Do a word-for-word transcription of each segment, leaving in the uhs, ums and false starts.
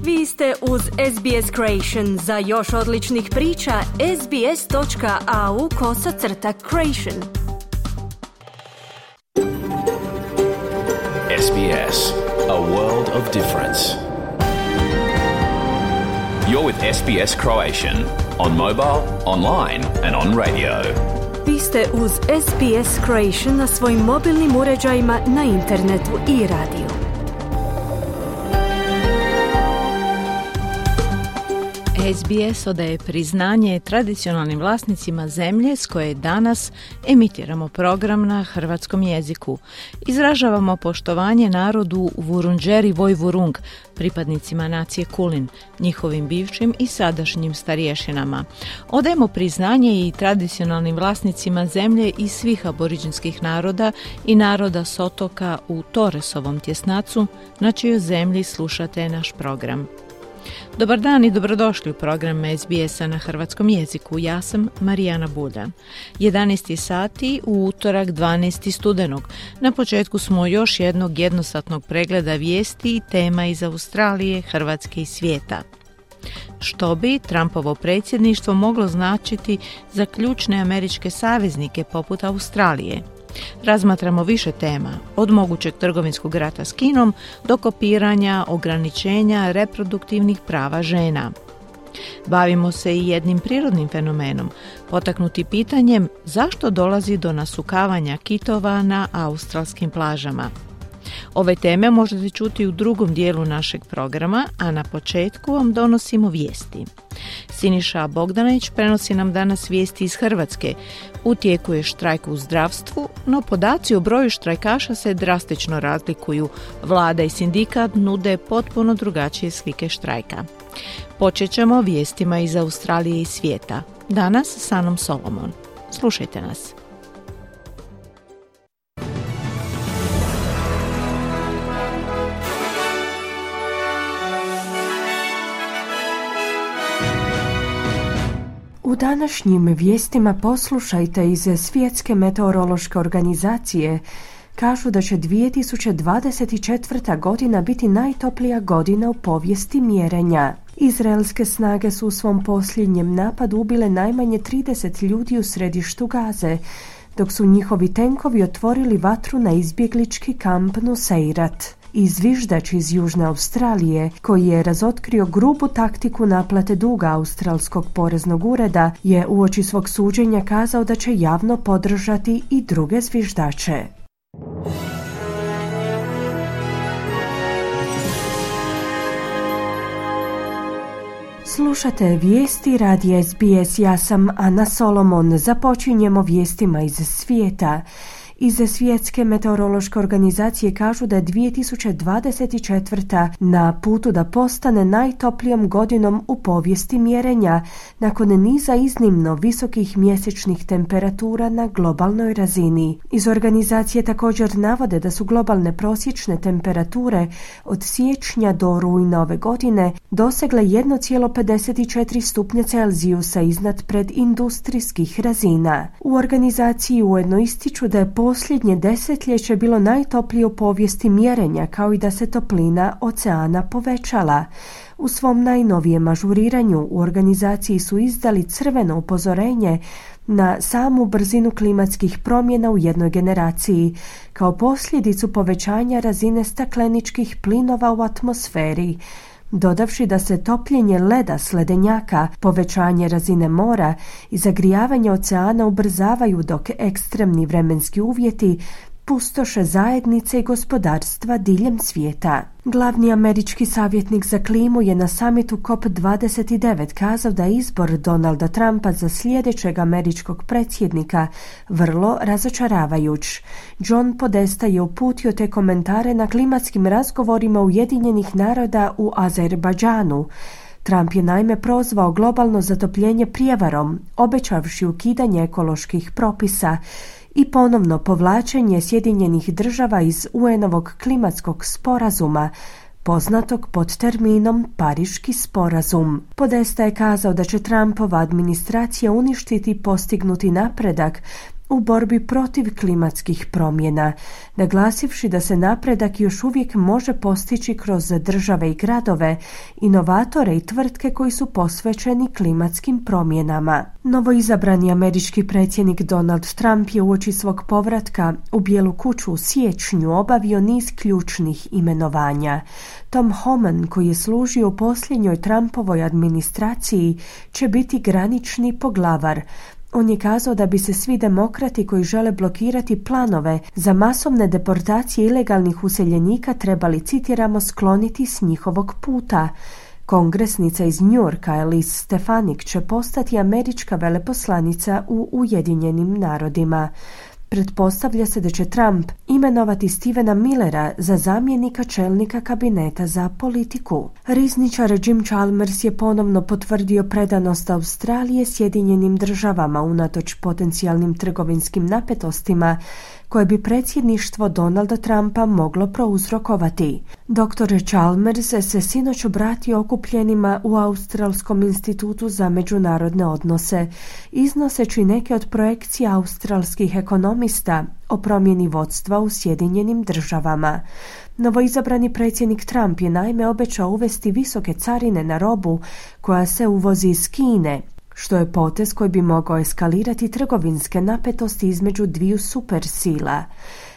Vi ste uz S B S Creation. Za još odličnih priča, sbs.au kosacrta creation. S B S, a world of difference. You're with S B S Croatian on mobile, online and on radio. Vi ste uz S B S Creation na svojim mobilnim uređajima, na internetu i radiju. S B S odaje priznanje tradicionalnim vlasnicima zemlje s koje danas emitiramo program na hrvatskom jeziku. Izražavamo poštovanje narodu Vurundjeri Vojvurung, pripadnicima nacije Kulin, njihovim bivšim i sadašnjim starješinama. Odajemo priznanje i tradicionalnim vlasnicima zemlje i svih aboriđinskih naroda i naroda s otoka u Torresovom tjesnacu, na čijoj zemlji slušate naš program. Dobar dan i dobrodošli u program S B S-a na hrvatskom jeziku. Ja sam Marijana Buljan. jedanaest sati u utorak dvanaestog studenog. Na početku smo još jednog jednosatnog pregleda vijesti i tema iz Australije, Hrvatske i svijeta. Što bi Trumpovo predsjedništvo moglo značiti za ključne američke saveznike poput Australije? Razmatramo više tema, od mogućeg trgovinskog rata s Kinom do kopiranja, ograničenja reproduktivnih prava žena. Bavimo se i jednim prirodnim fenomenom, potaknuti pitanjem zašto dolazi do nasukavanja kitova na australskim plažama. Ove teme možete čuti u drugom dijelu našeg programa, a na početku vam donosimo vijesti. Siniša Bogdanović prenosi nam danas vijesti iz Hrvatske. U tijeku je štrajk u zdravstvu, no podaci o broju štrajkaša se drastično razlikuju. Vlada i sindikat nude potpuno drugačije slike štrajka. Počet ćemo vijestima iz Australije i svijeta. Danas s Anom Solomon. Slušajte nas. U današnjim vijestima poslušajte iz Svjetske meteorološke organizacije. Kažu da će dvije tisuće dvadeset četvrta. godina biti najtoplija godina u povijesti mjerenja. Izraelske snage su u svom posljednjem napadu ubile najmanje trideset ljudi u središtu Gaze, dok su njihovi tenkovi otvorili vatru na izbjeglički kamp Nuseirat. Izviždač iz Južne Australije, koji je razotkrio grubu taktiku naplate duga australskog poreznog ureda, je uoči svog suđenja kazao da će javno podržati i druge zviždače. Slušate vijesti radija S B S, ja sam Ana Solomon. Započinjemo vijestima iz svijeta. Iz Svjetske meteorološke organizacije kažu da je dvije tisuće dvadeset četvrta. na putu da postane najtoplijom godinom u povijesti mjerenja, nakon niza iznimno visokih mjesečnih temperatura na globalnoj razini. Iz organizacije također navode da su globalne prosječne temperature od siječnja do rujna ove godine dosegle jedan zarez pedeset četiri stupnja Celzijusa iznad predindustrijskih razina. U organizaciji ujedno ističu da je posljednje desetljeće bilo najtoplije u povijesti mjerenja, kao i da se toplina oceana povećala. U svom najnovijem ažuriranju u organizaciji su izdali crveno upozorenje na samu brzinu klimatskih promjena u jednoj generaciji, kao posljedicu povećanja razine stakleničkih plinova u atmosferi, dodavši da se topljenje leda s ledenjaka, povećanje razine mora i zagrijavanje oceana ubrzavaju, dok ekstremni vremenski uvjeti pustoše zajednice i gospodarstva diljem svijeta. Glavni američki savjetnik za klimu je na samitu C O P dvadeset devet kazao da je izbor Donalda Trumpa za sljedećeg američkog predsjednika vrlo razočaravajuć. John Podesta je uputio te komentare na klimatskim razgovorima Ujedinjenih naroda u Azerbajdžanu. Trump je naime prozvao globalno zatopljenje prijevarom, obećavši ukidanje ekoloških propisa i ponovno povlačenje Sjedinjenih država iz U N-ovog klimatskog sporazuma, poznatog pod terminom Pariški sporazum. Podesta je kazao da će Trumpova administracija uništiti postignuti napredak u borbi protiv klimatskih promjena, naglasivši da se napredak još uvijek može postići kroz države i gradove, inovatore i tvrtke koji su posvećeni klimatskim promjenama. Novoizabrani američki predsjednik Donald Trump je uoči svog povratka u Bijelu kuću u siječnju obavio niz ključnih imenovanja. Tom Homan, koji je služio u posljednjoj Trumpovoj administraciji, će biti granični poglavar. On je kazao da bi se svi demokrati koji žele blokirati planove za masovne deportacije ilegalnih useljenika trebali, citiramo, skloniti s njihovog puta. Kongresnica iz New Yorka Elise Stefanik će postati američka veleposlanica u Ujedinjenim narodima. Pretpostavlja se da će Trump imenovati Stevena Millera za zamjenika čelnika kabineta za politiku. Rizničar Jim Chalmers je ponovno potvrdio predanost Australije Sjedinjenim državama unatoč potencijalnim trgovinskim napetostima koje bi predsjedništvo Donalda Trumpa moglo prouzrokovati. doktor Chalmers se sinoć obratio okupljenima u Australskom institutu za međunarodne odnose, iznoseći neke od projekcija australskih ekonomista o promjeni vodstva u Sjedinjenim državama. Novoizabrani predsjednik Trump je naime obećao uvesti visoke carine na robu koja se uvozi iz Kine, što je potez koji bi mogao eskalirati trgovinske napetosti između dviju supersila.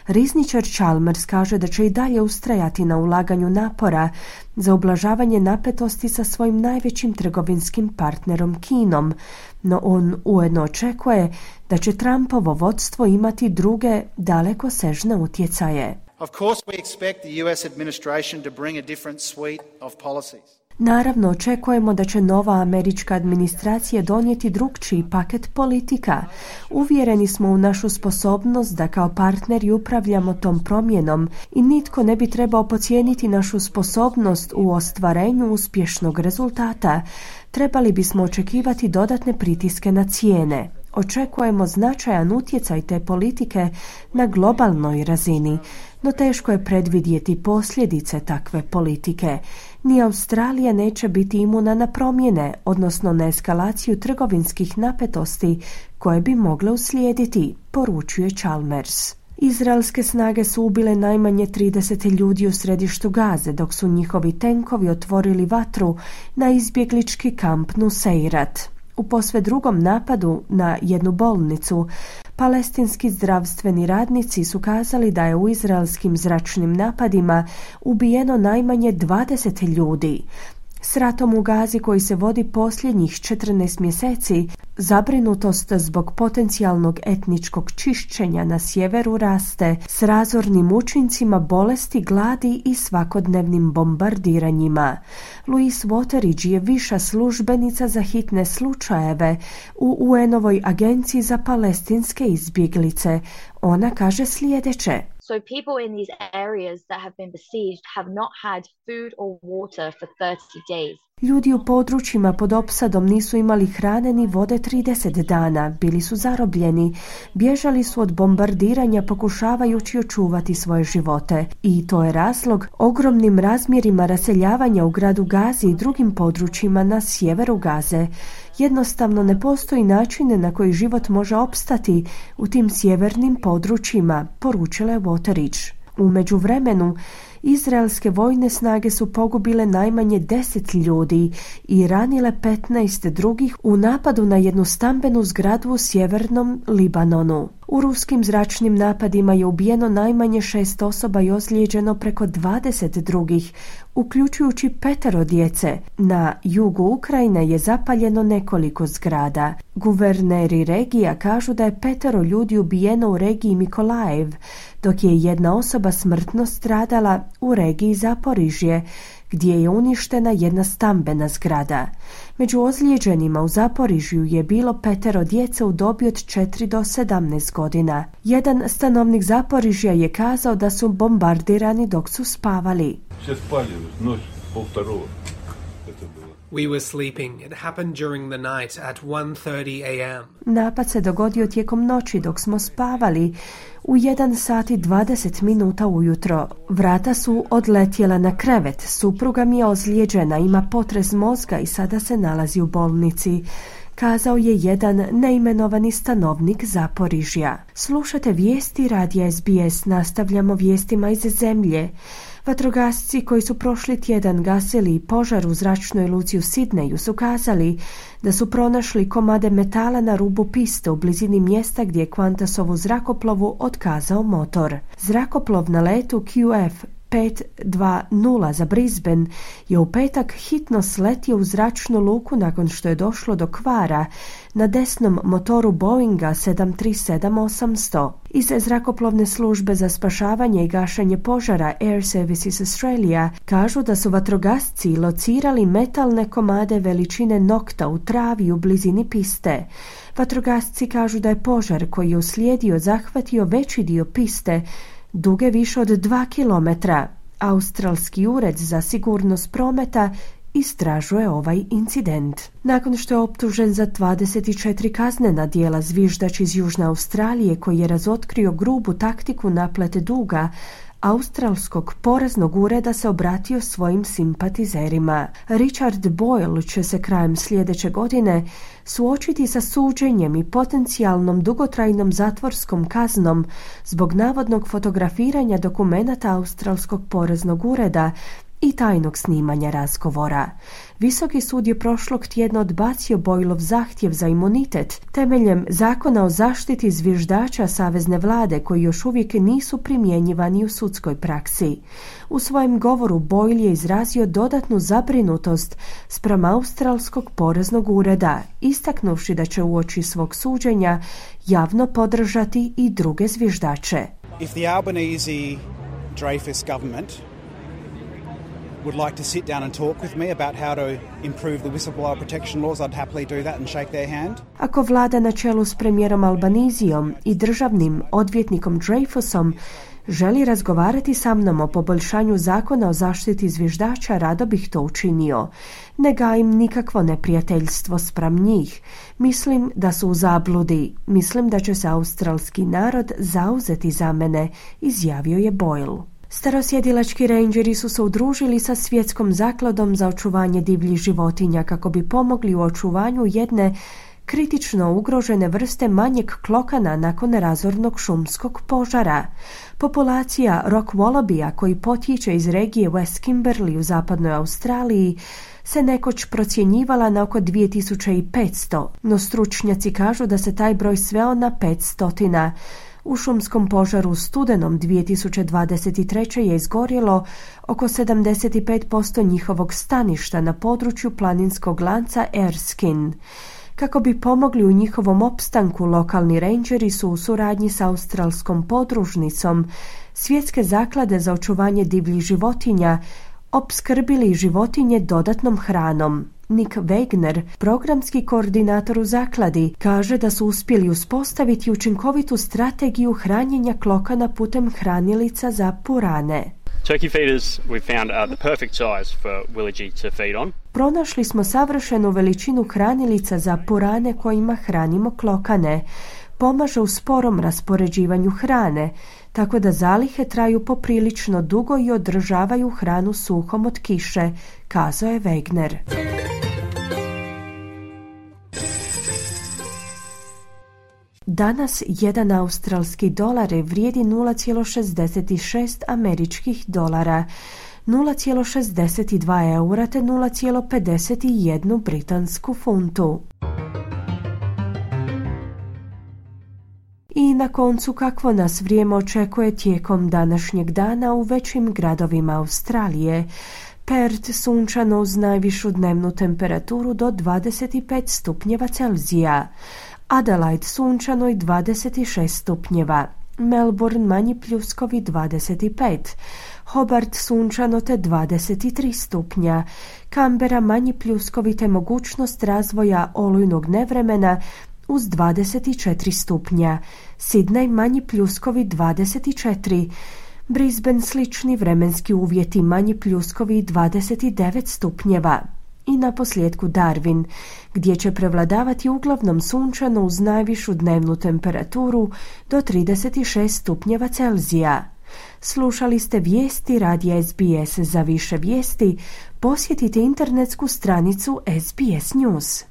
Rizničar Chalmers kaže da će i dalje ustrajati na ulaganju napora za ublažavanje napetosti sa svojim najvećim trgovinskim partnerom Kinom, no on ujedno očekuje da će Trumpovo vodstvo imati druge dalekosežne utjecaje. Of course we expect the U S administration to bring a different suite of policies. Naravno, očekujemo da će nova američka administracija donijeti drukčiji paket politika. Uvjereni smo u našu sposobnost da kao partneri upravljamo tom promjenom i nitko ne bi trebao podcijeniti našu sposobnost u ostvarenju uspješnog rezultata. Trebali bismo očekivati dodatne pritiske na cijene. Očekujemo značajan utjecaj te politike na globalnoj razini, no teško je predvidjeti posljedice takve politike. Ni Australija neće biti imuna na promjene, odnosno na eskalaciju trgovinskih napetosti koje bi mogle uslijediti, poručuje Chalmers. Izraelske snage su ubile najmanje trideset ljudi u središtu Gaze, dok su njihovi tenkovi otvorili vatru na izbjeglički kamp Nuseirat. U posve drugom napadu na jednu bolnicu, palestinski zdravstveni radnici su kazali da je u izraelskim zračnim napadima ubijeno najmanje dvadeset ljudi. S ratom u Gazi koji se vodi posljednjih četrnaest mjeseci, zabrinutost zbog potencijalnog etničkog čišćenja na sjeveru raste s razornim učincima bolesti, gladi i svakodnevnim bombardiranjima. Louise Wateridge je viša službenica za hitne slučajeve u U N-ovoj agenciji za palestinske izbjeglice. Ona kaže sljedeće. So people in these areas that have been besieged have not had food or water for thirty days. Ljudi u područjima pod opsadom nisu imali hrane ni vode trideset dana, bili su zarobljeni, bježali su od bombardiranja pokušavajući očuvati svoje živote. I to je razlog ogromnim razmjerima raseljavanja u gradu Gazi i drugim područjima na sjeveru Gaze. Jednostavno ne postoji način na koji život može opstati u tim sjevernim područjima, poručila je Wateridge. U međuvremenu, izraelske vojne snage su pogubile najmanje deset ljudi i ranile petnaest drugih u napadu na jednu stambenu zgradu u sjevernom Libanonu. U ruskim zračnim napadima je ubijeno najmanje šest osoba i ozlijeđeno preko dvadeset drugih, uključujući petero djece. Na jugu Ukrajine je zapaljeno nekoliko zgrada. Guverneri regija kažu da je petero ljudi ubijeno u regiji Mikolajev, dok je jedna osoba smrtno stradala u regiji Zaporižje, gdje je uništena jedna stambena zgrada. Među ozlijeđenima u Zaporižju je bilo petero djece u dobi od četiri do sedamnaest godina. Jedan stanovnik Zaporižja je kazao da su bombardirani dok su spavali. We were sleeping. It happened during the night at one thirty a m Napad se dogodio tijekom noći dok smo spavali u jedan sat i dvadeset minuta ujutro. Vrata su odletjela na krevet. Supruga mi je ozlijeđena, ima potres mozga i sada se nalazi u bolnici. kazao je jedan neimenovani stanovnik Zaporižja. Slušate vijesti radija S B S, nastavljamo vijestima iz zemlje. Vatrogasci koji su prošli tjedan gasili požar u zračnoj luci u Sidneju su kazali da su pronašli komade metala na rubu piste u blizini mjesta gdje je Qantasovu zrakoplovu otkazao motor. Zrakoplov na letu Q F pet dvadeset za Brisbane je u petak hitno sletio u zračnu luku nakon što je došlo do kvara na desnom motoru Boeinga sedam tri sedam osamsto. Iz zrakoplovne službe za spašavanje i gašenje požara Air Services Australia kažu da su vatrogasci locirali metalne komade veličine nokta u travi u blizini piste. Vatrogasci kažu da je požar koji je uslijedio zahvatio veći dio piste duge više od dva kilometra. Australski ured za sigurnost prometa istražuje ovaj incident. Nakon što je optužen za dvadeset četiri kaznena djela, zviždač iz Južne Australije koji je razotkrio grubu taktiku naplate duga Australskog poreznog ureda se obratio svojim simpatizerima. Richard Boyle će se krajem sljedeće godine suočiti sa suđenjem i potencijalnom dugotrajnom zatvorskom kaznom zbog navodnog fotografiranja dokumenata Australskog poreznog ureda i tajnog snimanja razgovora. Visoki sud je prošlog tjedna odbacio Boylov zahtjev za imunitet temeljem zakona o zaštiti zviždača savezne vlade koji još uvijek nisu primjenjivani u sudskoj praksi. U svojem govoru Boyle je izrazio dodatnu zabrinutost spram Australskog poreznog ureda, istaknuvši da će uoči svog suđenja javno podržati i druge zviždače. If the Albanese Dreyfus government would like to sit down and talk with me about how to improve the whistleblower protection laws, I'd happily do that and shake their hand. Ako vlada na čelu s premijerom Albanizijom i državnim odvjetnikom Dreyfusom želi razgovarati sa mnom o poboljšanju zakona o zaštiti zviždača, rado bih to učinio. Ne gajim nikakvo neprijateljstvo spram njih. Mislim da su u zabludi. Mislim da će se australski narod zauzeti za mene, izjavio je Boyle. Starosjedilački rangeri su se udružili sa Svjetskom zakladom za očuvanje divljih životinja kako bi pomogli u očuvanju jedne kritično ugrožene vrste manjeg klokana nakon razornog šumskog požara. Populacija rock wallabiya, koji potječe iz regije West Kimberley u zapadnoj Australiji, se nekoć procjenjivala na oko dvije tisuće petsto, no stručnjaci kažu da se taj broj sveo na petsto. U šumskom požaru u studenom dvije tisuće dvadeset treće je izgorjelo oko sedamdeset pet posto njihovog staništa na području planinskog lanca Erskine. Kako bi pomogli u njihovom opstanku, lokalni rangeri su u suradnji s australskom podružnicom Svjetske zaklade za očuvanje divljih životinja opskrbili životinje dodatnom hranom. Nick Wagner, programski koordinator u zakladi, kaže da su uspjeli uspostaviti učinkovitu strategiju hranjenja klokana putem hranilica za purane. Turkey feeders we found are the perfect size for Willigi to feed on. Pronašli smo savršenu veličinu hranilica za purane kojima hranimo klokane. Pomaže u sporom raspoređivanju hrane, tako da zalihe traju poprilično dugo i održavaju hranu suhom od kiše, kazao je Wagner. Danas jedan australski dolar vrijedi nula zarez šezdeset šest američkih dolara, nula zarez šezdeset dva eura te nula zarez pedeset jedan britansku funtu. I na koncu, kakvo nas vrijeme očekuje tijekom današnjeg dana u većim gradovima Australije. Perth sunčano uz najvišu dnevnu temperaturu do dvadeset pet stupnjeva Celzija. Adelaide sunčano i dvadeset šest stupnjeva. Melbourne manji pljuskovi dvadeset pet. Hobart sunčano te dvadeset tri stupnja. Canberra manji pljuskovi te mogućnost razvoja olujnog nevremena uz dvadeset četiri stupnja. Sydney manji pljuskovi dvadeset četiri. Brisbane slični vremenski uvjeti, manji pljuskovi dvadeset devet stupnjeva. I na posljedku Darwin, gdje će prevladavati uglavnom sunčano uz najvišu dnevnu temperaturu do trideset šest stupnjeva Celzija. Slušali ste vijesti radija S B S. Za više vijesti posjetite internetsku stranicu S B S News.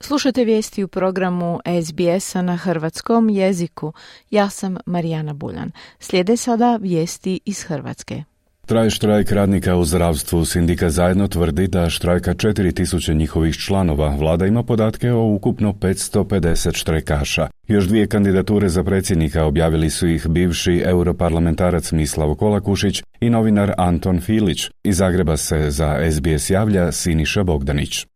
Slušajte vijesti u programu S B S-a na hrvatskom jeziku. Ja sam Marijana Buljan. Slijede sada vijesti iz Hrvatske. Traje štrajk radnika u zdravstvu. Sindikat Zajedno tvrdi da štrajka četiri tisuće njihovih članova. Vlada ima podatke o ukupno petsto pedeset štrajkaša. Još dvije kandidature za predsjednika objavili su ih bivši europarlamentarac Mislav Kolakušić i novinar Anton Filić. Iz Zagreba se za S B S javlja Siniša Bogdanić.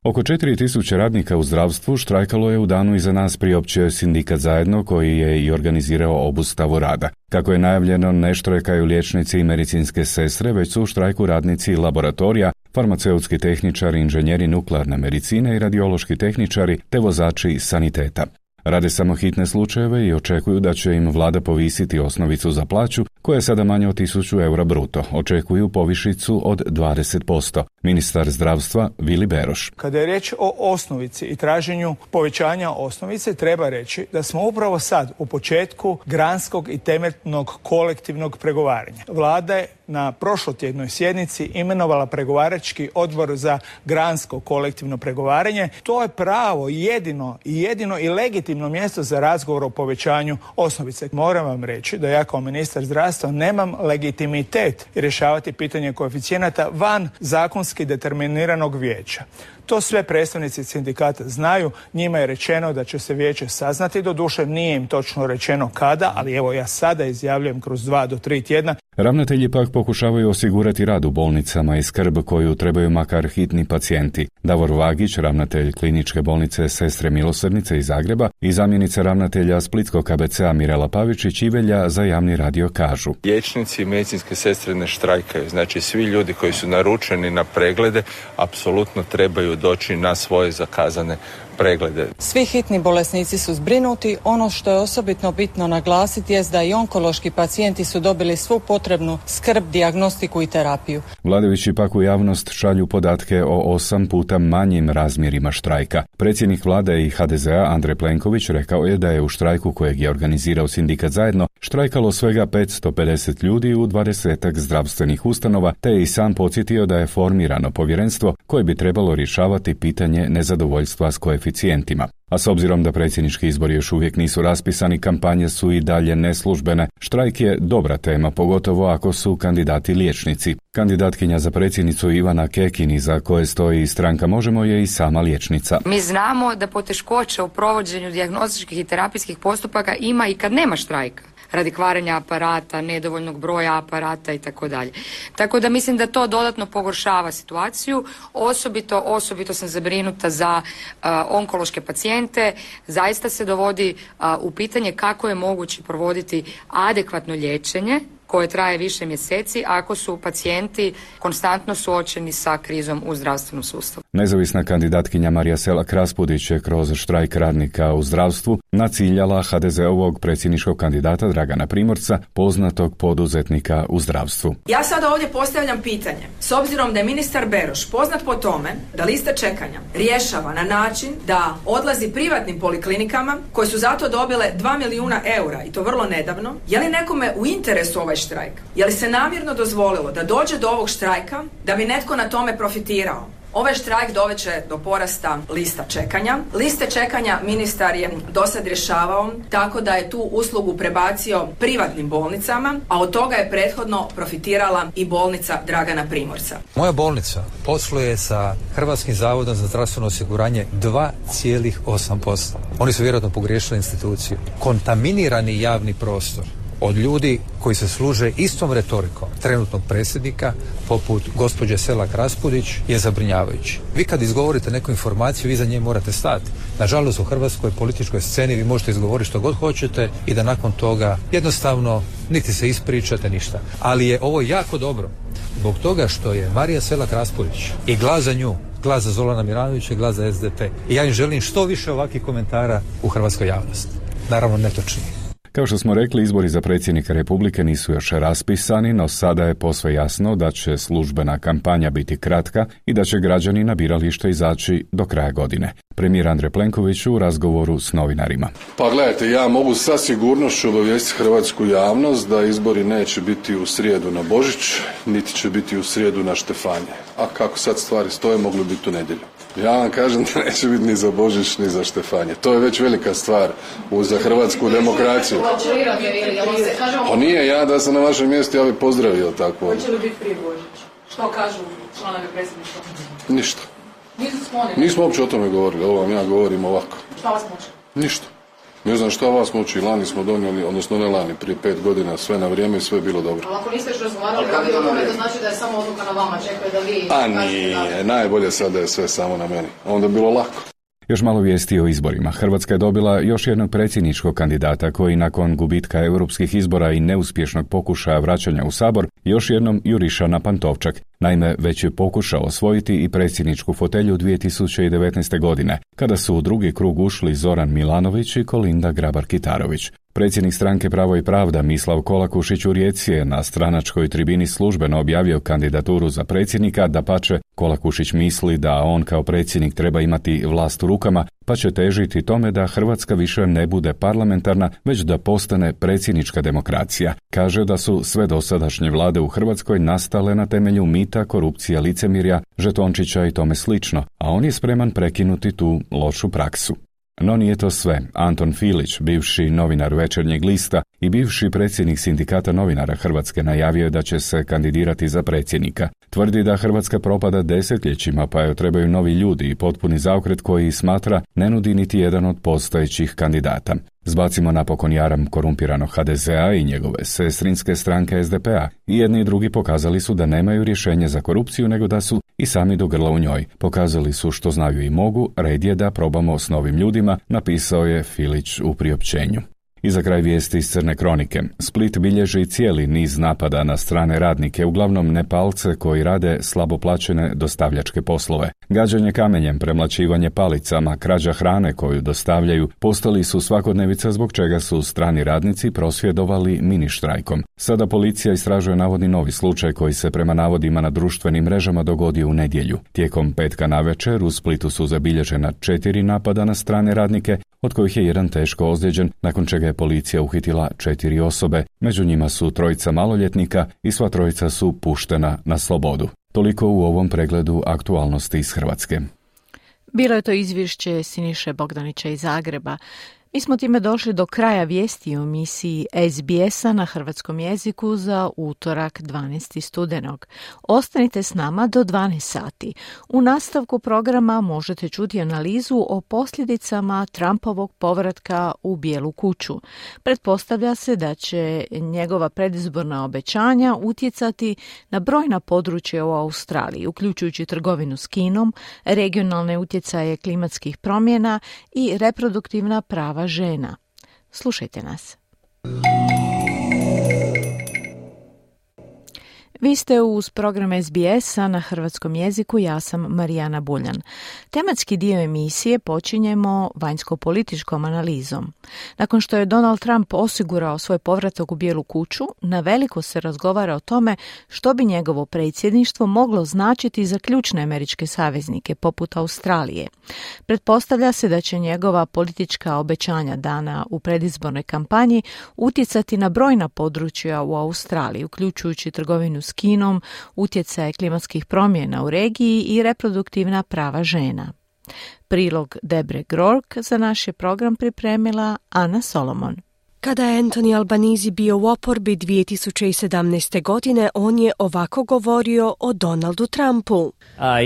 Oko četiri tisuće radnika u zdravstvu štrajkalo je u danu iza nas, priopćio Sindikat Zajedno, koji je i organizirao obustavu rada. Kako je najavljeno, ne štrajkaju liječnici i medicinske sestre, već su u štrajku radnici laboratorija, farmaceutski tehničari, inženjeri nuklearne medicine i radiološki tehničari te vozači saniteta. Rade samo hitne slučajeve i očekuju da će im vlada povisiti osnovicu za plaću, koja je sada manja od tisuću eura bruto. Očekuju povišicu od dvadeset posto. Ministar zdravstva Vili Beroš. Kada je riječ o osnovici i traženju povećanja osnovice, treba reći da smo upravo sad u početku granskog i temeljnog kolektivnog pregovaranja. Vlada je na prošlotjednoj sjednici imenovala pregovarački odbor za gransko kolektivno pregovaranje. To je pravo, jedino i jedino i legitimno mjesto za razgovor o povećanju osnovice. Moram vam reći da ja kao ministar zdravstva nemam legitimitet rješavati pitanje koeficijenata van zakonski determiniranog vijeća. To sve predstavnici sindikata znaju, njima je rečeno da će se vijeće saznati, doduše nije im točno rečeno kada, ali evo ja sada izjavljujem kroz dva do tri tjedna. Ravnatelji pak pokušavaju osigurati rad u bolnicama i skrb koju trebaju makar hitni pacijenti. Davor Vagić, ravnatelj kliničke bolnice Sestre Milosrdnice iz Zagreba i zamjenica ravnatelja Splitskog K B C-a Mirela Pavičić Ivelja za javni radio kažu. Liječnici i medicinske sestre ne štrajkaju, znači svi ljudi koji su naručeni na preglede apsolutno trebaju doći na svoje zakazane preglede. Svi hitni bolesnici su zbrinuti. Ono što je osobito bitno naglasiti jest da i onkološki pacijenti su dobili svu potrebnu skrb, dijagnostiku i terapiju. Vladajući pak u javnost šalju podatke o osam puta manjim razmjerima štrajka. Predsjednik vlade i H D Z-a Andrej Plenković rekao je da je u štrajku kojeg je organizirao Sindikat Zajedno štrajkalo svega petsto pedeset ljudi u dvadesetak zdravstvenih ustanova, te je i sam podsjetio da je formirano povjerenstvo koje bi trebalo rješavati pitanje nezadovoljstva s koeficijentima. A s obzirom da predsjednički izbori još uvijek nisu raspisani, kampanje su i dalje neslužbene. Štrajk je dobra tema, pogotovo ako su kandidati liječnici. Kandidatkinja za predsjednicu Ivana Kekin, iza koje stoji stranka Možemo, je i sama liječnica. Mi znamo da poteškoće u provođenju dijagnostičkih i terapijskih postupaka ima i kad nema štrajka, radi kvarenja aparata, nedovoljnog broja aparata i tako dalje. Tako da mislim da to dodatno pogoršava situaciju. Osobito, osobito sam zabrinuta za uh, onkološke pacijente. Zaista se dovodi uh, u pitanje kako je moguće provoditi adekvatno liječenje koje traje više mjeseci ako su pacijenti konstantno suočeni sa krizom u zdravstvenom sustavu. Nezavisna kandidatkinja Marija Selak Raspudić je kroz štrajk radnika u zdravstvu naciljala H D Z-ovog predsjedničkog kandidata Dragana Primorca, poznatog poduzetnika u zdravstvu. Ja sada ovdje postavljam pitanje. S obzirom da je ministar Beroš poznat po tome da liste čekanja rješava na način da odlazi privatnim poliklinikama koje su zato dobile dva milijuna eura i to vrlo nedavno, je li nekome u interesu ovaj štrajk? Je li se namjerno dozvolilo da dođe do ovog štrajka da bi netko na tome profitirao? Ovaj štrajk doveće do porasta lista čekanja. Liste čekanja ministar je dosad rješavao tako da je tu uslugu prebacio privatnim bolnicama, a od toga je prethodno profitirala i bolnica Dragana Primorca. Moja bolnica posluje sa Hrvatskim zavodom za zdravstveno osiguranje dva zarez osam posto. Oni su vjerojatno pogriješili instituciju. Kontaminirani javni prostor od ljudi koji se služe istom retorikom trenutnog predsjednika, poput gospođe Selak Raspudić, je zabrinjavajući. Vi kad izgovorite neku informaciju, vi za nje morate stati. Nažalost, u hrvatskoj političkoj sceni vi možete izgovoriti što god hoćete i da nakon toga jednostavno niti se ispričate ništa. Ali je ovo jako dobro zbog toga što je Marija Selak Raspudić i glas za nju, glas za Zorana Milanovića i glas za S D P. I ja im želim što više ovakvih komentara u hrvatskoj javnosti. Naravno, netočni. Kao što smo rekli, izbori za predsjednika Republike nisu još raspisani, no sada je posve jasno da će službena kampanja biti kratka i da će građani na biralište izaći do kraja godine. Premijer Andrej Plenković u razgovoru s novinarima. Pa gledajte, ja mogu sa sigurnošću obavijestiti hrvatsku javnost da izbori neće biti u srijedu na Božić, niti će biti u srijedu na Štefanje. A kako sad stvari stoje, mogli biti u nedjelju. Ja vam kažem da neće biti ni za Božić, ni za Štefanje. To je već velika stvar za hrvatsku demokraciju. Pa nije, ja da sam na vašem mjestu, ja bih pozdravio tako. Hoće li biti prije Božić? Što kažu članovi predsjedništva? Ništa. Nisu sklonili? Nismo uopće o tome govorili, ovo vam ja govorim ovako. Šta vas muči? Ništa. Ne znam šta vas muči, lani smo donijeli, odnosno ne lani, prije pet godina, sve na vrijeme i sve je bilo dobro. Ali ako niste još razgovarali o tome, to znači da je samo odluka na vama, čekaju da vi... A nije, najbolje sad da je sve samo na meni. Onda je bilo lako. Još malo vijesti o izborima. Hrvatska je dobila još jednog predsjedničkog kandidata koji nakon gubitka europskih izbora i neuspješnog pokušaja vraćanja u Sabor još jednom juriša na Pantovčak. Naime, već je pokušao osvojiti i predsjedničku fotelju dvije tisuće devetnaeste. godine, kada su u drugi krug ušli Zoran Milanović i Kolinda Grabar-Kitarović. Predsjednik stranke Pravo i pravda Mislav Kolakušić u Rijeci je na stranačkoj tribini službeno objavio kandidaturu za predsjednika, dapače, Kolakušić misli da on kao predsjednik treba imati vlast u rukama, pa će težiti tome da Hrvatska više ne bude parlamentarna, već da postane predsjednička demokracija. Kaže da su sve dosadašnje vlade u Hrvatskoj nastale na temelju mita, korupcije, licemirja, žetončića i tome slično, a on je spreman prekinuti tu lošu praksu. No nije to sve. Anton Filić, bivši novinar Večernjeg lista i bivši predsjednik Sindikata novinara Hrvatske, najavio je da će se kandidirati za predsjednika. Tvrdi da Hrvatska propada desetljećima, pa joj trebaju novi ljudi i potpuni zaokret koji smatra ne nudi niti jedan od postojećih kandidata. Zbacimo napokon jaram korumpiranog ha de ze a i njegove sestrinske stranke es de pe a. I jedni i drugi pokazali su da nemaju rješenje za korupciju, nego da su i sami do grla u njoj. Pokazali su što znaju i mogu, red je da probamo s novim ljudima, napisao je Filić u priopćenju. I za kraj vijesti iz Crne kronike. Split bilježi cijeli niz napada na strane radnike, uglavnom Nepalce koji rade slabo plaćene dostavljačke poslove. Gađanje kamenjem, premlaćivanje palicama, krađa hrane koju dostavljaju postali su svakodnevica, zbog čega su strani radnici prosvjedovali mini štrajkom. Sada policija istražuje navodni novi slučaj koji se prema navodima na društvenim mrežama dogodio u nedjelju. Tijekom petka navečer u Splitu su zabilježena četiri napada na strane radnike, od kojih je jedan teško ozlijeđen, nakon čega je policija uhitila četiri osobe. Među njima su trojica maloljetnika i sva trojica su puštena na slobodu. Toliko u ovom pregledu aktualnosti iz Hrvatske. Bilo je to izvješće Siniše Bogdanića iz Zagreba. Mi smo time došli do kraja vijesti o emisiji es be es a na hrvatskom jeziku za utorak dvanaestog studenog. Ostanite s nama do dvanaest sati. U nastavku programa možete čuti analizu o posljedicama Trumpovog povratka u Bijelu kuću. Pretpostavlja se da će njegova predizborna obećanja utjecati na brojna područja u Australiji, uključujući trgovinu s Kinom, regionalne utjecaje klimatskih promjena i reproduktivna prava žena. Slušajte nas. Vi ste uz program es be es a na hrvatskom jeziku, ja sam Marijana Buljan. Tematski dio emisije počinjemo vanjsko-političkom analizom. Nakon što je Donald Trump osigurao svoj povratak u Bijelu kuću, na veliko se razgovara o tome što bi njegovo predsjedništvo moglo značiti za ključne američke saveznike, poput Australije. Pretpostavlja se da će njegova politička obećanja dana u predizbornoj kampanji utjecati na brojna područja u Australiji, uključujući trgovinu s Kinom, utjecaje klimatskih promjena u regiji i reproduktivna prava žena. Prilog Debre Grork za naš je program pripremila Ana Solomon. Kada je Anthony Albanese bio u oporbi dvije tisuće sedamnaeste. godine, on je ovako govorio o Donaldu Trumpu. Uh,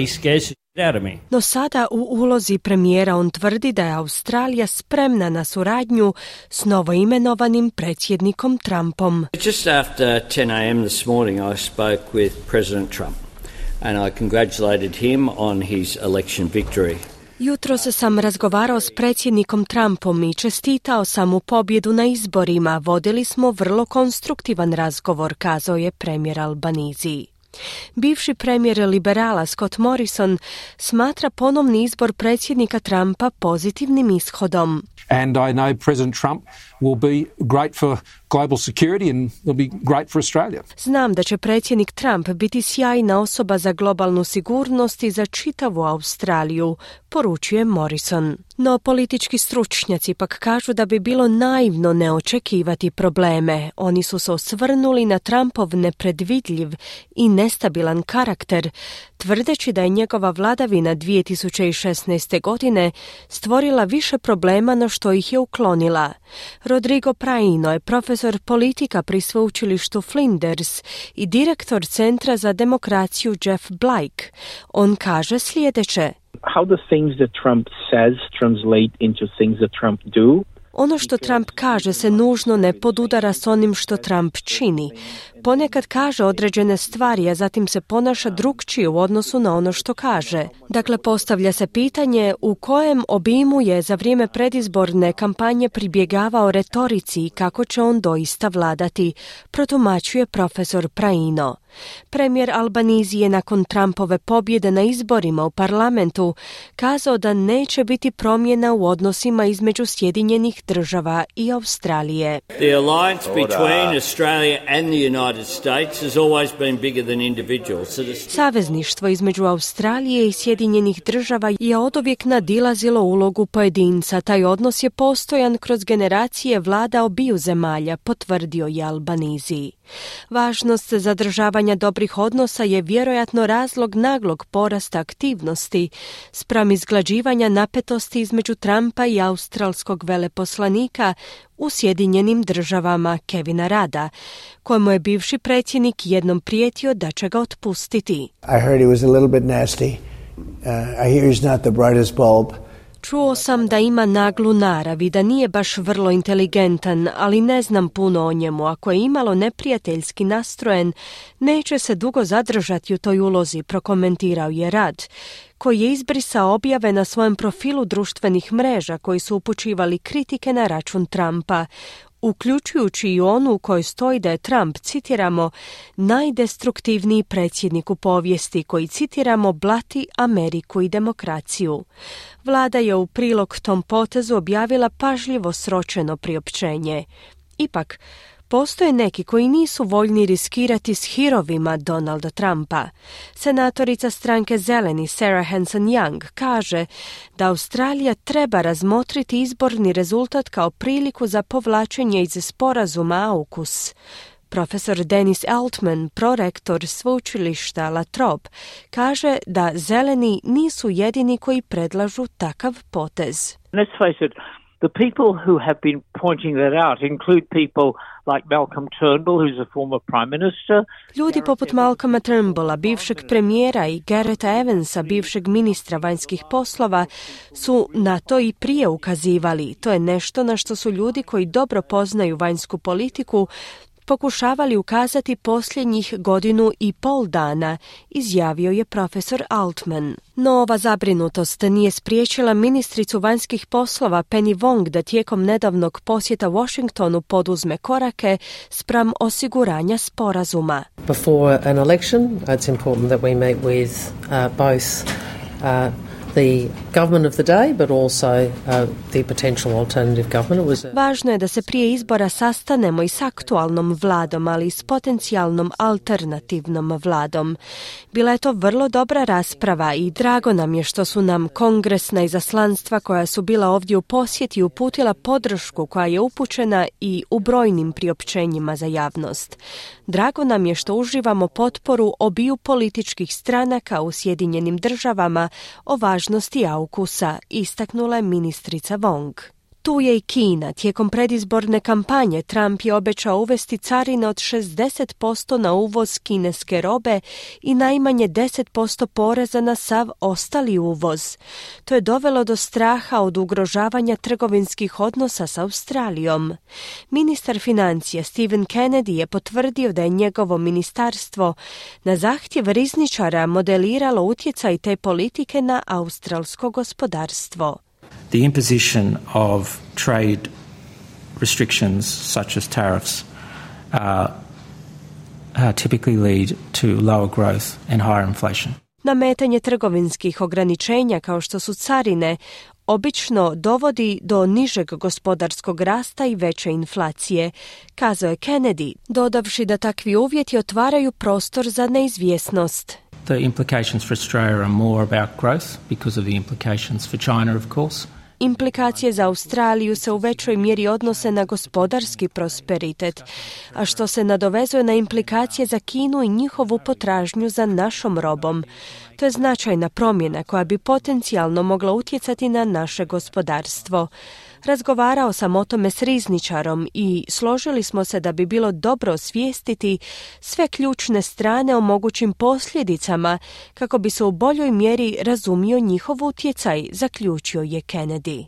he scares the shit out of me. No sada u ulozi premijera on tvrdi da je Australija spremna na suradnju s novoimenovanim predsjednikom Trumpom. Just after ten a.m. this morning I spoke with President Trump and I congratulated him on his election victory. Jutros sam razgovarao s predsjednikom Trumpom i čestitao sam mu pobjedu na izborima. Vodili smo vrlo konstruktivan razgovor, kazao je premijer Albanese. Bivši premijer liberala Scott Morrison smatra ponovni izbor predsjednika Trumpa pozitivnim ishodom. And I know President Trump will be great for global security and will be great for Australia. Znam da će predsjednik Trump biti sjajna osoba za globalnu sigurnost i za čitavu Australiju, poručuje Morrison. No politički stručnjaci pak kažu da bi bilo naivno ne očekivati probleme. Oni su se osvrnuli na Trumpov nepredvidljiv i nestabilan karakter, tvrdeći da je njegova vladavina dvije tisuće šesnaeste. godine stvorila više problema no što ih je uklonila. Rodrigo Praino je profesor politika pri sveučilištu Flinders i direktor Centra za demokraciju Jeff Blake. On kaže sljedeće. How the things that Trump says translate into things that Trump do. Ono što Trump kaže se nužno ne podudara s onim što Trump čini. Ponekad kaže određene stvari, a zatim se ponaša drukčije u odnosu na ono što kaže. Dakle, postavlja se pitanje u kojem obimu je za vrijeme predizborne kampanje pribjegavao retorici i kako će on doista vladati, protumačuje profesor Praino. Premijer Albanese je nakon Trumpove pobjede na izborima u parlamentu kazao da neće biti promjena u odnosima između Sjedinjenih država i Australije. The alliance between Australia and the United States has always been bigger than individuals. Savezništvo između Australije i Sjedinjenih država je oduvijek nadilazilo ulogu pojedinca. Taj odnos je postojan kroz generacije vlada obiju zemalja, potvrdio je Albanese. Važnost zadržavanja dobrih odnosa je vjerojatno razlog naglog porasta aktivnosti spram izglađivanja napetosti između Trumpa i australskog veleposlanika u Sjedinjenim državama Kevina Rada, kojemu je bivši predsjednik jednom prijetio da će ga otpustiti. I heard he was a little bit nasty. Uh, I hear he's not the brightest bulb. Čuo sam da ima naglu narav i da nije baš vrlo inteligentan, ali ne znam puno o njemu. Ako je imalo neprijateljski nastrojen, neće se dugo zadržati u toj ulozi, prokomentirao je Rad, koji je izbrisao objave na svojem profilu društvenih mreža koji su upućivali kritike na račun Trumpa, uključujući i onu u kojoj stoji da je Trump, citiramo, najdestruktivniji predsjednik u povijesti koji, citiramo, blati Ameriku i demokraciju. Vlada je u prilog tom potezu objavila pažljivo sročeno priopćenje. Ipak, postoje neki koji nisu voljni riskirati s hirovima Donalda Trumpa. Senatorica stranke Zeleni Sarah Hanson-Young kaže da Australija treba razmotriti izborni rezultat kao priliku za povlačenje iz sporazuma AUKUS. Profesor Dennis Altman, prorektor sveučilišta La Trobe, kaže da Zeleni nisu jedini koji predlažu takav potez. Let's face it, the people who have been pointing that out include people like Malcolm Turnbull, who's a former prime minister. Ljudi poput Malcolma Turnbulla, bivšeg premijera, i Garretta Evansa, bivšeg ministra vanjskih poslova, su na to i prije ukazivali. To je nešto na što su ljudi koji dobro poznaju vanjsku politiku pokušavali ukazati posljednjih godinu i pol dana, izjavio je profesor Altman. No ova zabrinutost nije spriječila ministricu vanjskih poslova Penny Wong da tijekom nedavnog posjeta Washingtonu poduzme korake spram osiguranja sporazuma. Before an election, it's important that we meet with uh, both uh, the government of the day, but also uh, the potential alternative government. It was a... Važno je da se prije izbora sastanemo i s aktualnom vladom, ali i s potencijalnom alternativnom vladom. Bila je to vrlo dobra rasprava i drago nam je što su nam kongresna izaslanstva koja su bila ovdje u posjeti uputila podršku koja je upućena i u brojnim priopćenjima za javnost. Drago nam je što uživamo potporu obiju političkih stranaka u Sjedinjenim državama o važnosti AUKUS-a, istaknula je ministrica Wong. Tu je i Kina. Tijekom predizborne kampanje Trump je obećao uvesti carine od šezdeset posto na uvoz kineske robe i najmanje deset posto poreza na sav ostali uvoz. To je dovelo do straha od ugrožavanja trgovinskih odnosa s Australijom. Ministar financija Stephen Kennedy je potvrdio da je njegovo ministarstvo na zahtjev rizničara modeliralo utjecaj te politike na australsko gospodarstvo. The imposition of trade restrictions such as tariffs uh, uh, typically lead to lower growth and higher inflation. Nametanje trgovinskih ograničenja kao što su carine obično dovodi do nižeg gospodarskog rasta i veće inflacije, kazao je Kennedy, dodavši da takvi uvjeti otvaraju prostor za neizvjesnost. The implications for Australia are more about growth because of the implications for China, of course. Implikacije za Australiju se u većoj mjeri odnose na gospodarski prosperitet, a što se nadovezuje na implikacije za Kinu i njihovu potražnju za našom robom. To je značajna promjena koja bi potencijalno mogla utjecati na naše gospodarstvo. Razgovarao sam o tome s rizničarom i složili smo se da bi bilo dobro osvijestiti sve ključne strane o mogućim posljedicama kako bi se u boljoj mjeri razumio njihov utjecaj, zaključio je Kennedy.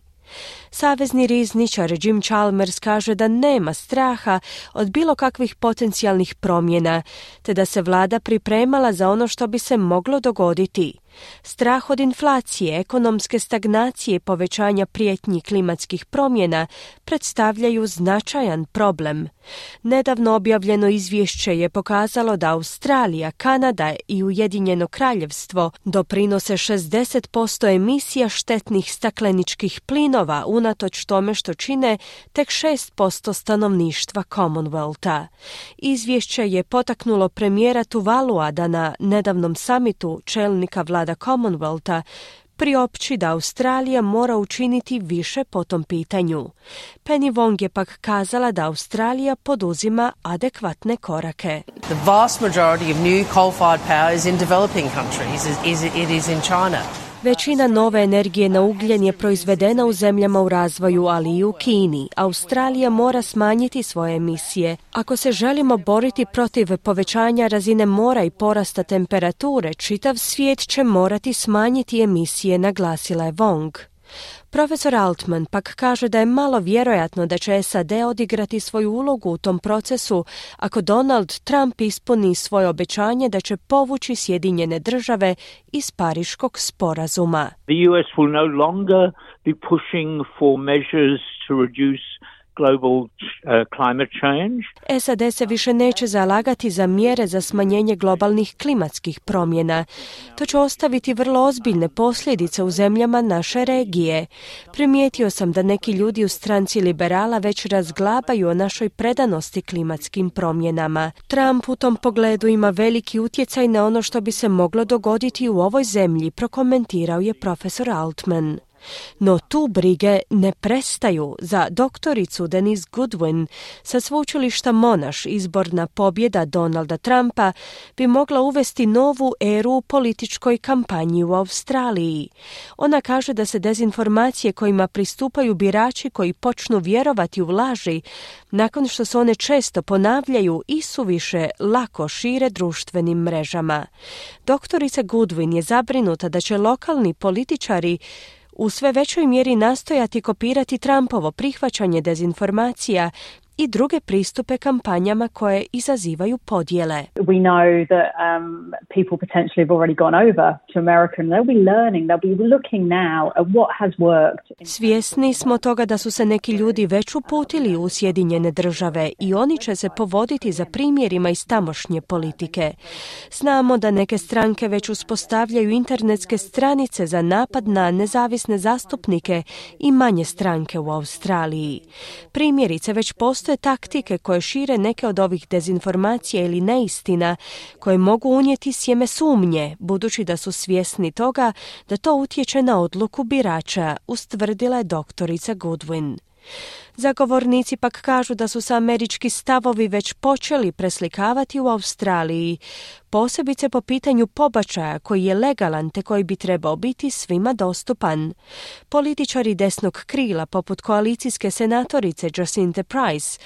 Savezni rizničar Jim Chalmers kaže da nema straha od bilo kakvih potencijalnih promjena, te da se vlada pripremala za ono što bi se moglo dogoditi. Strah od inflacije, ekonomske stagnacije i povećanja prijetnji klimatskih promjena predstavljaju značajan problem. Nedavno objavljeno izvješće je pokazalo da Australija, Kanada i Ujedinjeno kraljevstvo doprinose šezdeset posto emisija štetnih stakleničkih plinova unatoč tome što čine tek šest posto stanovništva Commonwealtha. Izvješće je potaknulo premijera Tuvalua da na nedavnom samitu čelnika vlada Commonwealtha priopći da Australija mora učiniti više po tom pitanju. Penny Wong je pak kazala da Australija poduzima adekvatne korake. The vast majority of new coal-fired power is in developing countries. It is in China. Većina nove energije na ugljen je proizvedena u zemljama u razvoju, ali i u Kini. Australija mora smanjiti svoje emisije. Ako se želimo boriti protiv povećanja razine mora i porasta temperature, čitav svijet će morati smanjiti emisije, naglasila je Wong. Profesor Altman pak kaže da je malo vjerojatno da će S A D odigrati svoju ulogu u tom procesu ako Donald Trump ispuni svoje obećanje da će povući Sjedinjene države iz Pariškog sporazuma. The U S will no longer be pushing for measures to reduce global uh, climate change. S A D se više neće zalagati za mjere za smanjenje globalnih klimatskih promjena. To će ostaviti vrlo ozbiljne posljedice u zemljama naše regije. Primijetio sam da neki ljudi u stranci liberala već razglabaju o našoj predanosti klimatskim promjenama. Trump u tom pogledu ima veliki utjecaj na ono što bi se moglo dogoditi u ovoj zemlji, prokomentirao je profesor Altman. No tu brige ne prestaju. Za doktoricu Denise Goodwin sa sveučilišta Monash izborna pobjeda Donalda Trumpa bi mogla uvesti novu eru u političkoj kampanji u Australiji. Ona kaže da se dezinformacije kojima pristupaju birači koji počnu vjerovati u laži nakon što se one često ponavljaju i suviše lako šire društvenim mrežama. Doktorica Goodwin je zabrinuta da će lokalni političari u sve većoj mjeri nastojati kopirati Trumpovo prihvaćanje dezinformacija i druge pristupe kampanjama koje izazivaju podjele. We know that um, people potentially have already gone over to America and they'll be learning, they'll be looking now at what has worked. Svjesni smo toga da su se neki ljudi već uputili u Sjedinjene države i oni će se povoditi za primjerima iz tamošnje politike. Znamo da neke stranke već uspostavljaju internetske stranice za napad na nezavisne zastupnike i manje stranke u Australiji. Primjerice već postoje taktike koje šire neke od ovih dezinformacija ili neistina koje mogu unijeti sjeme sumnje, budući da su svjesni toga da to utječe na odluku birača, ustvrdila je doktorica Goodwin. Zagovornici pak kažu da su se američki stavovi već počeli preslikavati u Australiji, posebice po pitanju pobačaja koji je legalan te koji bi trebao biti svima dostupan. Političari desnog krila, poput koalicijske senatorice Jacinthe Price,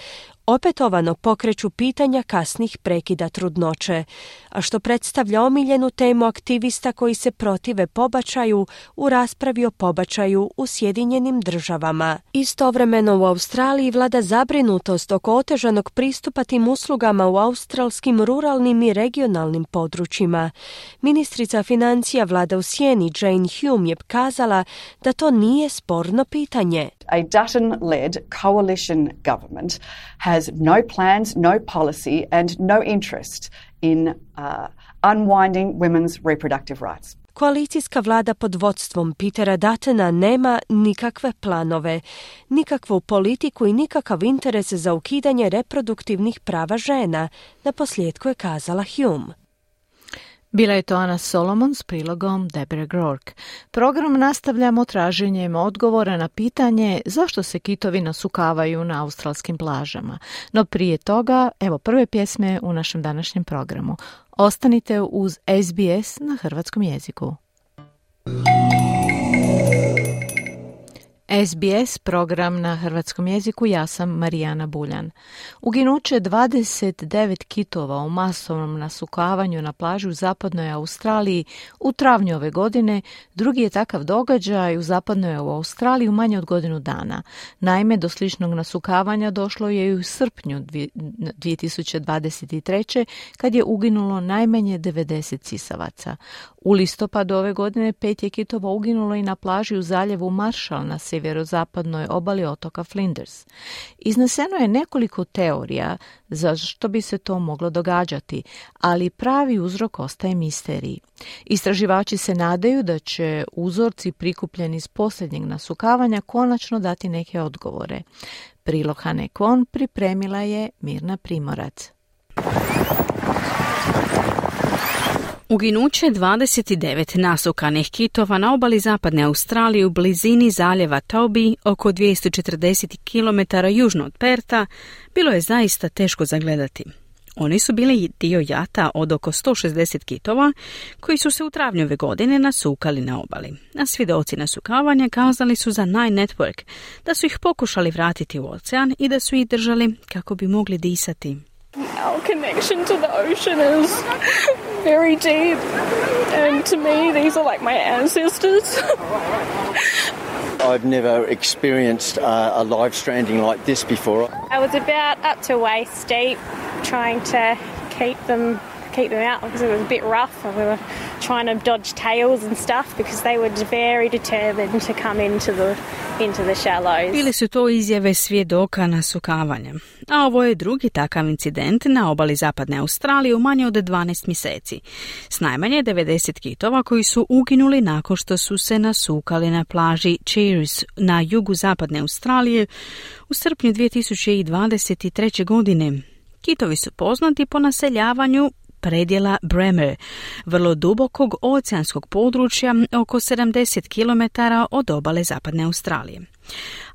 opetovano pokreću pitanja kasnih prekida trudnoće, a što predstavlja omiljenu temu aktivista koji se protive pobačaju u raspravi o pobačaju u Sjedinjenim državama. Istovremeno u Australiji vlada zabrinutost oko otežanog pristupa tim uslugama u australskim ruralnim i regionalnim područjima. Ministrica financija vlada u sjeni Jane Hume je kazala da to nije sporno pitanje. A Dutton-led coalition government has no plans, no policy and no interest in uh, unwinding women's reproductive rights. Koalicijska vlada pod vodstvom Petera Duttona nema nikakve planove, nikakvu politiku i nikakav interes za ukidanje reproduktivnih prava žena, naposljetku je kazala Hume. Bila je to Ana Solomon s prilogom Deborah Groark. Program nastavljamo traženjem odgovora na pitanje zašto se kitovi nasukavaju na australskim plažama. No prije toga, evo prve pjesme u našem današnjem programu. Ostanite uz S B S na hrvatskom jeziku. S B S program na hrvatskom jeziku, ja sam Marijana Buljan. Uginuće dvadeset devet kitova u masovnom nasukavanju na plaži u zapadnoj Australiji u travnju ove godine drugi je takav događaj u zapadnoj Australiji u manje od godinu dana. Naime, do sličnog nasukavanja došlo je i u srpnju dvije tisuće dvadeset treće kad je uginulo najmanje devedeset sisavaca. U listopadu ove godine pet je kitova uginulo i na plaži u zaljevu Marshall na sjeverozapadnoj obali otoka Flinders. Izneseno je nekoliko teorija zašto bi se to moglo događati, ali pravi uzrok ostaje misterij. Istraživači se nadaju da će uzorci prikupljeni iz posljednjeg nasukavanja konačno dati neke odgovore. Prilog Hane Kwon pripremila je Mirna Primorac. Uginuće dvadeset devet nasukanih kitova na obali zapadne Australije u blizini zaljeva Toby, oko dvjesto četrdeset kilometara južno od Perta, bilo je zaista teško zagledati. Oni su bili dio jata od oko sto šezdeset kitova koji su se u travnju ove godine nasukali na obali. A svjedoci nasukavanja kazali su za Nine Network da su ih pokušali vratiti u ocean i da su ih držali kako bi mogli disati. Our connection to the ocean is very deep, and to me these are like my ancestors. I've never experienced uh, a live stranding like this before. I was about up to waist deep, trying to keep them keep them out because it was a bit rough, and we were trying to dodge tails and stuff because they were very determined to come into the into the shallows. Bili su to izjave svjedoka nasukavanja. A ovo je drugi takav incident na obali zapadne Australije u manje od dvanaest mjeseci. S najmanje devedeset kitova koji su uginuli nakon što su se nasukali na plaži Cheers na jugu zapadne Australije u srpnju dvije tisuće dvadeset treće. godine. Kitovi su poznati po naseljavanju predjela Bremer, vrlo dubokog oceanskog područja oko sedamdeset kilometara od obale zapadne Australije.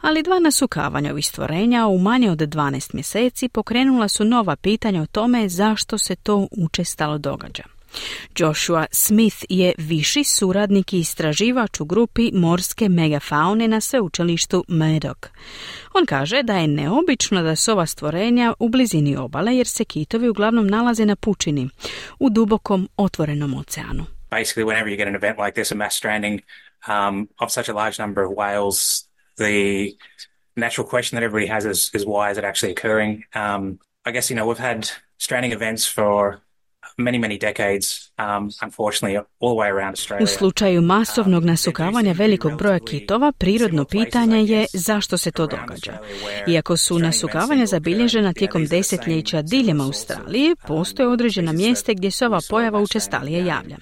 Ali dva nasukavanja ovih stvorenja u manje od dvanaest mjeseci pokrenula su nova pitanja o tome zašto se to učestalo događa. Joshua Smith je viši suradnik i istraživač u grupi morske megafaune na sveučilištu Murdoch. On kaže da je neobično da su ova stvorenja u blizini obale jer se kitovi uglavnom nalaze na pučini, u dubokom otvorenom oceanu. Basically, whenever you get an event like this, a mass stranding um, of such a large number of whales, the natural question that everybody has is, is why is it actually occurring? Um, I guess, you know, we've had stranding events for many, many decades, um, unfortunately, all the way around Australia. U slučaju masovnog nasukavanja velikog broja kitova, prirodno pitanje je zašto se to događa. Iako su nasukavanja zabilježena tijekom desetljeća diljem Australije, postoje određena mjesta gdje se ova pojava učestalije javlja.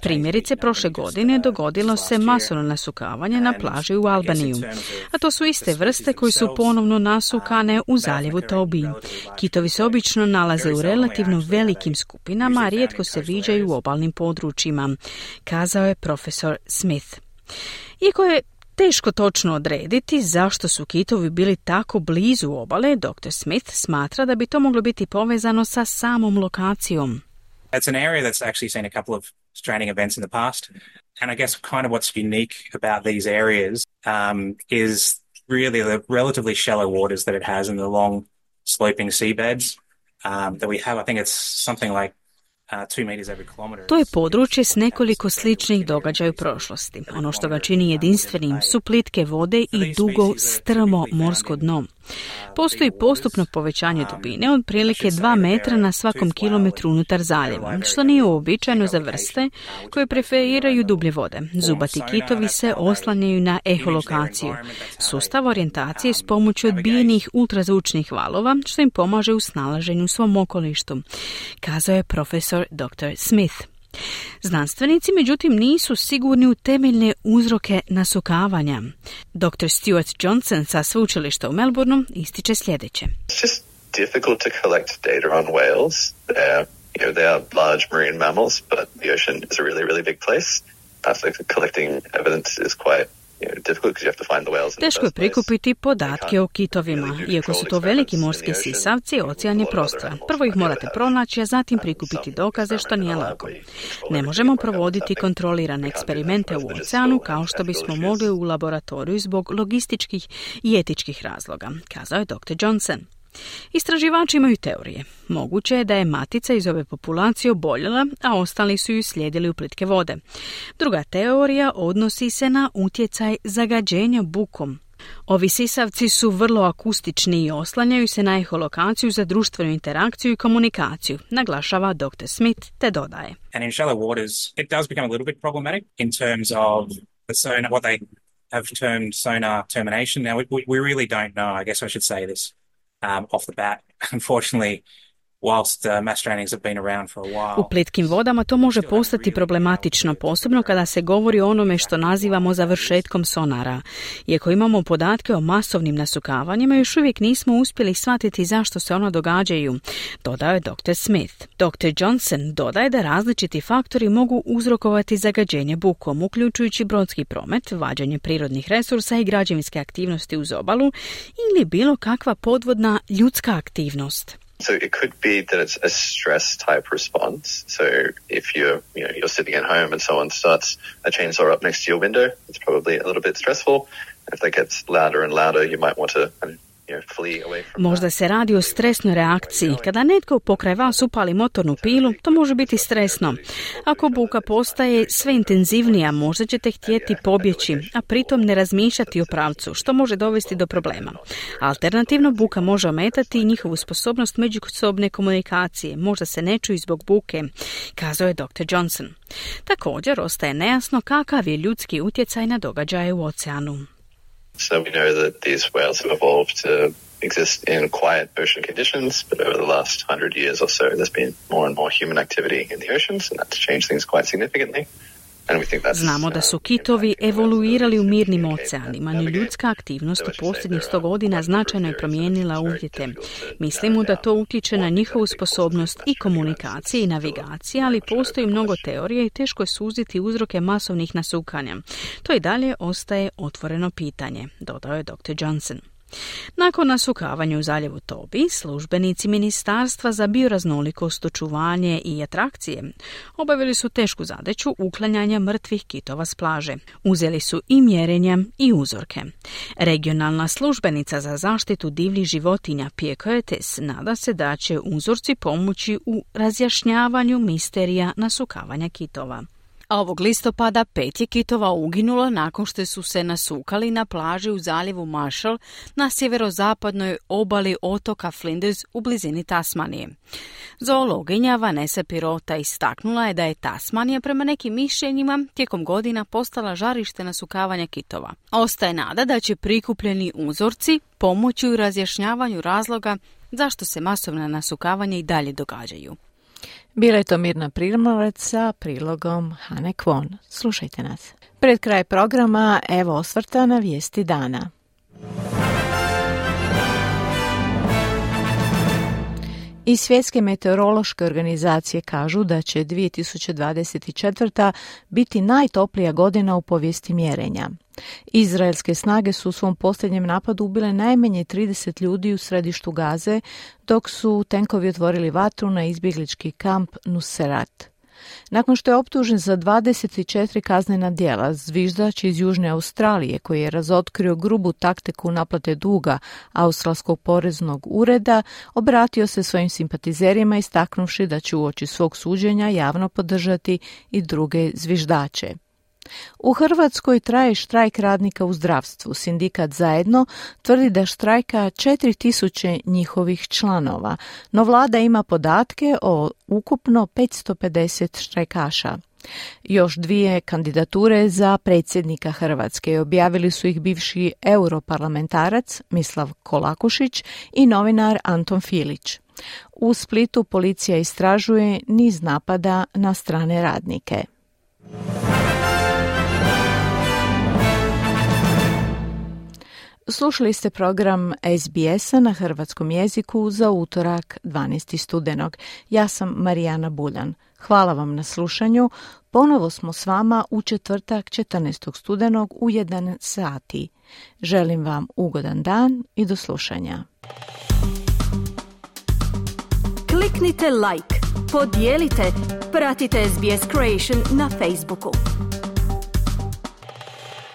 Primjerice, prošle godine dogodilo se masovno nasukavanje na plaži u Albaniju, a to su iste vrste koji su ponovno nasukane u zaljevu Toby. Kitovi se obično nalaze u relativno velikim skupinama, a rijetko se viđaju u obalnim područjima, kazao je profesor Smith. Iako je teško točno odrediti zašto su kitovi bili tako blizu obale, doktor Smith smatra da bi to moglo biti povezano sa samom lokacijom. It's an area that's actually seen a couple of stranding events in the past, and I guess kind of what's unique about these areas um, is really the relatively shallow waters that it has and the long sloping seabeds um, that we have. I think it's something like To je područje s nekoliko sličnih događaja u prošlosti. Ono što ga čini jedinstvenim su plitke vode i dugo, strmo morsko dno. Postoji postupno povećanje dubine od prilike dva metra na svakom kilometru unutar zaljeva, što nije uobičajeno za vrste koje preferiraju dublje vode. Zubati kitovi se oslanjaju na eholokaciju, sustav orijentacije s pomoću odbijenih ultrazvučnih valova, što im pomaže u snalaženju u svom okolištu, kazao je profesor doktor Smith. Znanstvenici, međutim, nisu sigurni u temeljne uzroke nasukavanja. doktor Stuart Johnson sa sveučilišta u Melbourneu ističe sljedeće. It's just difficult to collect data on whales. They're You know, they are large marine mammals, but the ocean is a really, really big place. Uh, so collecting evidence is quite Teško je prikupiti podatke o kitovima. Iako su to veliki morski sisavci, ocean je prostoran. Prvo ih morate pronaći, a zatim prikupiti dokaze, što nije lako. Ne možemo provoditi kontrolirane eksperimente u oceanu kao što bismo mogli u laboratoriju zbog logističkih i etičkih razloga, kazao je doktor Johnson. Istraživači imaju teorije. Moguće je da je matica iz ove populacije oboljela, a ostali su ju slijedili u plitke vode. Druga teorija odnosi se na utjecaj zagađenja bukom. Ovi sisavci su vrlo akustični i oslanjaju se na eholokaciju za društvenu interakciju i komunikaciju, naglašava doktor Smith, te dodaje. And in shallow waters, it does become a little bit problematic in terms of the sonar, what they have termed sonar termination. Now, we, we really don't know. I guess I should say this. Um, off the bat, unfortunately, whilst uh, mass strandings have been around for a while. U plitkim vodama to može postati problematično, posebno kada se govori o onome što nazivamo završetkom sonara. Iako imamo podatke o masovnim nasukavanjima, još uvijek nismo uspjeli shvatiti zašto se ona događaju, dodao je doktor Smith. doktor Johnson dodaje da različiti faktori mogu uzrokovati zagađenje bukom, uključujući brodski promet, vađenje prirodnih resursa i građevinske aktivnosti uz obalu ili bilo kakva podvodna ljudska aktivnost. So it could be that it's a stress type response. So if you're, you know, you're sitting at home and someone starts a chainsaw up next to your window, it's probably a little bit stressful. If that gets louder and louder, you might want to, you know, flee away from Možda se radi o stresnoj reakciji. Kada netko pokraj vas upali motornu pilu, to može biti stresno. Ako buka postaje sve intenzivnija, možda ćete htjeti pobjeći, a pritom ne razmišljati o pravcu, što može dovesti do problema. Alternativno, buka može ometati i njihovu sposobnost međusobne komunikacije. Možda se ne čuju zbog buke, kazao je doktor Johnson. Također, ostaje nejasno kakav je ljudski utjecaj na događaje u oceanu. So we know that these whales have evolved to exist in quiet ocean conditions, but over the last hundred years or so, there's been more and more human activity in the oceans, and that's changed things quite significantly. Znamo da su kitovi evoluirali u mirnim oceanima, no ljudska aktivnost u posljednjih sto godina značajno je promijenila uvjete. Mislimo da to utječe na njihovu sposobnost i komunikacije i navigacije, ali postoji mnogo teorija i teško je suziti uzroke masovnih nasukanja. To i dalje ostaje otvoreno pitanje, dodao je doktor Johnson. Nakon nasukavanja u zaljevu Tobi, službenici Ministarstva za bioraznolikost, očuvanje i atrakcije obavili su tešku zadaću uklanjanja mrtvih kitova s plaže. Uzeli su i mjerenja i uzorke. Regionalna službenica za zaštitu divljih životinja Pia Curtis nada se da će uzorci pomoći u razjašnjavanju misterija nasukavanja kitova. A ovog listopada pet je kitova uginulo nakon što su se nasukali na plaži u zaljevu Marshall na sjeverozapadnoj obali otoka Flinders u blizini Tasmanije. Zoologinja Vanessa Pirota istaknula je da je Tasmanija prema nekim mišljenjima tijekom godina postala žarište nasukavanja kitova. Ostaje nada da će prikupljeni uzorci pomoći u razjašnjavanju razloga zašto se masovna nasukavanja i dalje događaju. Bila je to Mirna Primorac sa prilogom Hane Kwon. Slušajte nas. Pred kraj programa evo osvrta na vijesti dana. I Svjetske meteorološke organizacije kažu da će dvije tisuće dvadeset četvrta biti najtoplija godina u povijesti mjerenja. Izraelske snage su u svom posljednjem napadu ubile najmanje trideset ljudi u središtu Gaze, dok su tenkovi otvorili vatru na izbjeglički kamp Nuseirat. Nakon što je optužen za dvadeset četiri kaznena djela, zviždač iz Južne Australije, koji je razotkrio grubu taktiku naplate duga Australskog poreznog ureda, obratio se svojim simpatizerima istaknuvši da će uoči svog suđenja javno podržati i druge zviždače. U Hrvatskoj traje štrajk radnika u zdravstvu. Sindikat Zajedno tvrdi da štrajka četiri tisuće njihovih članova, no vlada ima podatke o ukupno petsto pedeset štrajkaša. Još dvije kandidature za predsjednika Hrvatske objavili su ih bivši europarlamentarac Mislav Kolakušić i novinar Anton Filić. U Splitu policija istražuje niz napada na strane radnike. Slušali ste program S B S-a na hrvatskom jeziku za utorak dvanaestog studenog. Ja sam Marijana Buljan. Hvala vam na slušanju. Ponovo smo s vama u četvrtak četrnaestog studenog u jedan sati. Želim vam ugodan dan i do slušanja. Kliknite like, podijelite, pratite S B S Creation na Facebooku.